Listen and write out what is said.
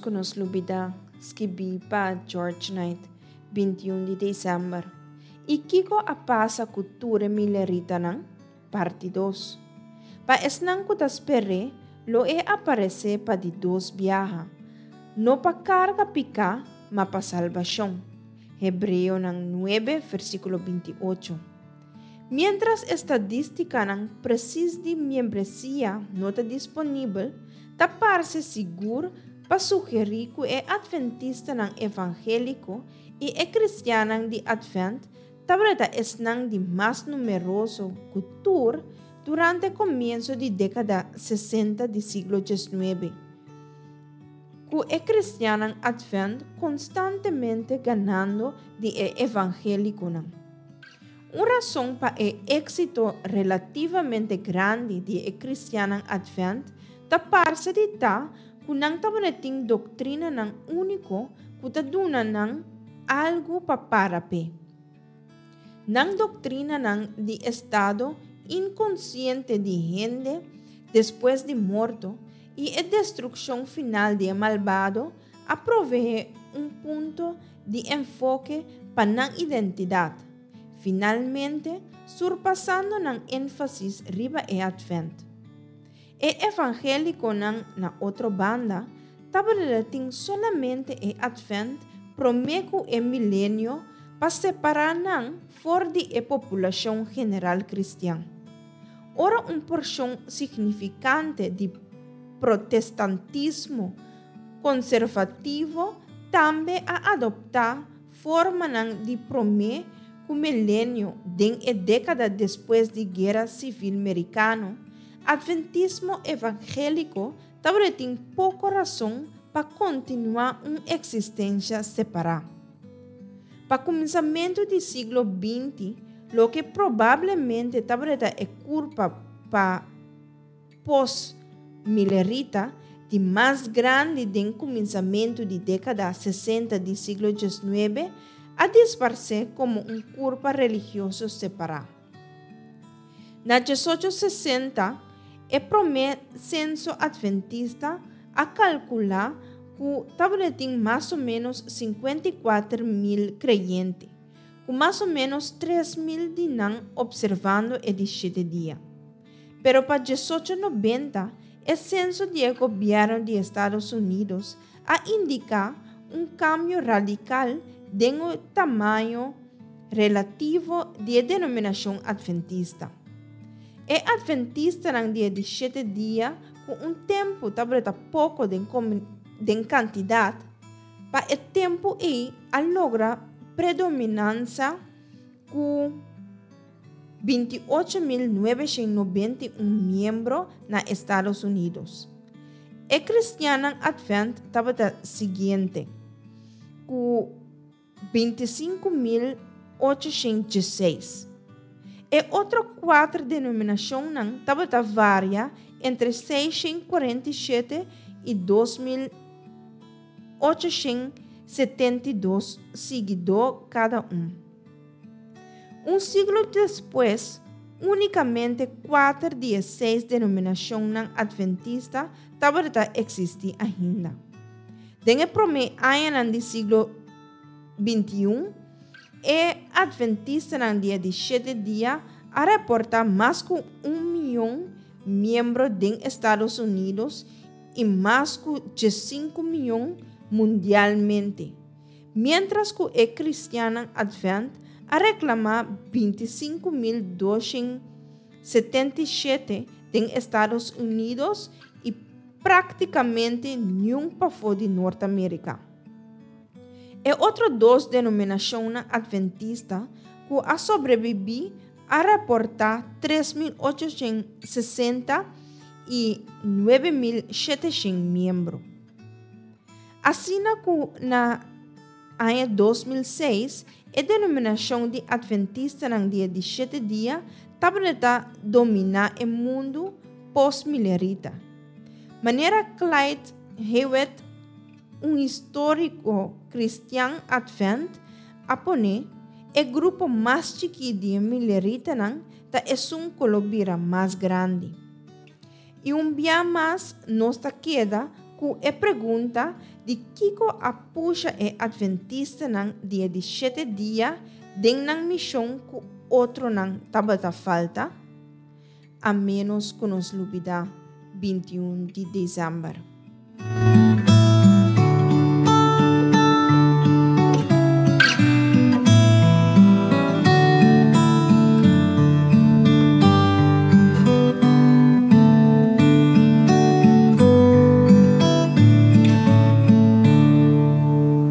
ku nos lubidá, skibí pa George Knight, 21 di desèmber. I kiko a pasa ku tur e mileritanan? Parti dos. Pa esnan ku ta sper'é, lo e aparesé pa di dos biaha, no pa karga piká, ma pa salbashon. Hebreonan nuebe, versíkulo 28. Miéntras estadístikanan presis di miembresia no ta disponibel, ta parse sigur pa sugerí ku e atventistanan evangéliko i e kristiannan di Atvènt tabata esnan di mas numeroso ku tur durante komienso di dékada 60 di siglo 19, ku e kristiannan Atvènt konstantemente ganando di e evangélikonan. Un rason pa e éksito relativamente grandi di e kristiannan Atvènt ta parse di ta ku nan tabatin doktrinanan úniko ku ta duna nan algu pa para p'e. Nan doktrinanan di estado inkonsiente di hende despues di morto i e destrukshon final di e malbado a proveé un punto di enfoke pa nan identidat, finalmente surpasando nan énfasis riba e Atvènt. E evangélikonan na otro banda tabatin solamente e Atvènt promé ku e milenio pa separá nan for di e populashon general kristian. Ora un porshon signifikante di protestantismo konservativo tambe a adoptá formanan di promé ku milenio den e dékada despues di Guera Sivil Merikano, atventismo evangéliko tabatin poko rason pa kontinuá un eksistensia separá. Pa kuminsamentu di siglo 20, loke probablemente tabata e kurpa pa post-milerita di mas grandi den kuminsamentu di dékada 60 di siglo 19, a disparsé komo un kurpa religioso separá. Na 1860, e promé senso atventista a kalkulá ku tabatin mas o ménos 54 mil kreyente, ku mas o ménos 3 mil di nan opservando e di shete dia. Pero pa 1890, e senso di gobièrnu di Estados Unidos a indiká un kambio radikal den e tamaño relativo di e denominashon atventista. E atventistanan di di shete dia ku un tempu tabata poko den, den kantidat, pa e tempu ei a logra predominansia ku 28.991 miembro na Estados Unidos. E kristiannan Atvènt tabata siguiente, ku 25.816. E otro kuater denominashonnan tabata varia entre 647 i 2.872 siguidó kada un. Un siglo despues, únikamente kuater di e seis denominashonnan atventista tabata eksistí ainda. Den e promé añanan di siglo 21, e atventistanan di di shete dia a reportá mas ku 1 mion miembro den Estados Unidos i mas ku 5 mion mundialmente. Mientras ku e kristiannan Atvènt a reklamá 25.277 den Estados Unidos i práktikamente niun pafó di Norteamérika. E otro dos denominashonnan atventista ku a sobrebibí a reportá 3.860 i 9.700 miembro. Asina ku na aña 2006, e denominashon di atventistanan di di shete dia tabata dominá e mundu post-milerita. Manera Clyde Hewitt, un históriko kristian Atvènt, a pone e grupo mas chikí di mileritanan ta esun ku lo bira mas grandi. I un bia mas nos ta keda ku e pregunta di Di kiko a pusha e Atventistanan di e di shete dia den nan mishon ku otronan tabata falta? A ménos ku nos lubidá 21 di desèmber.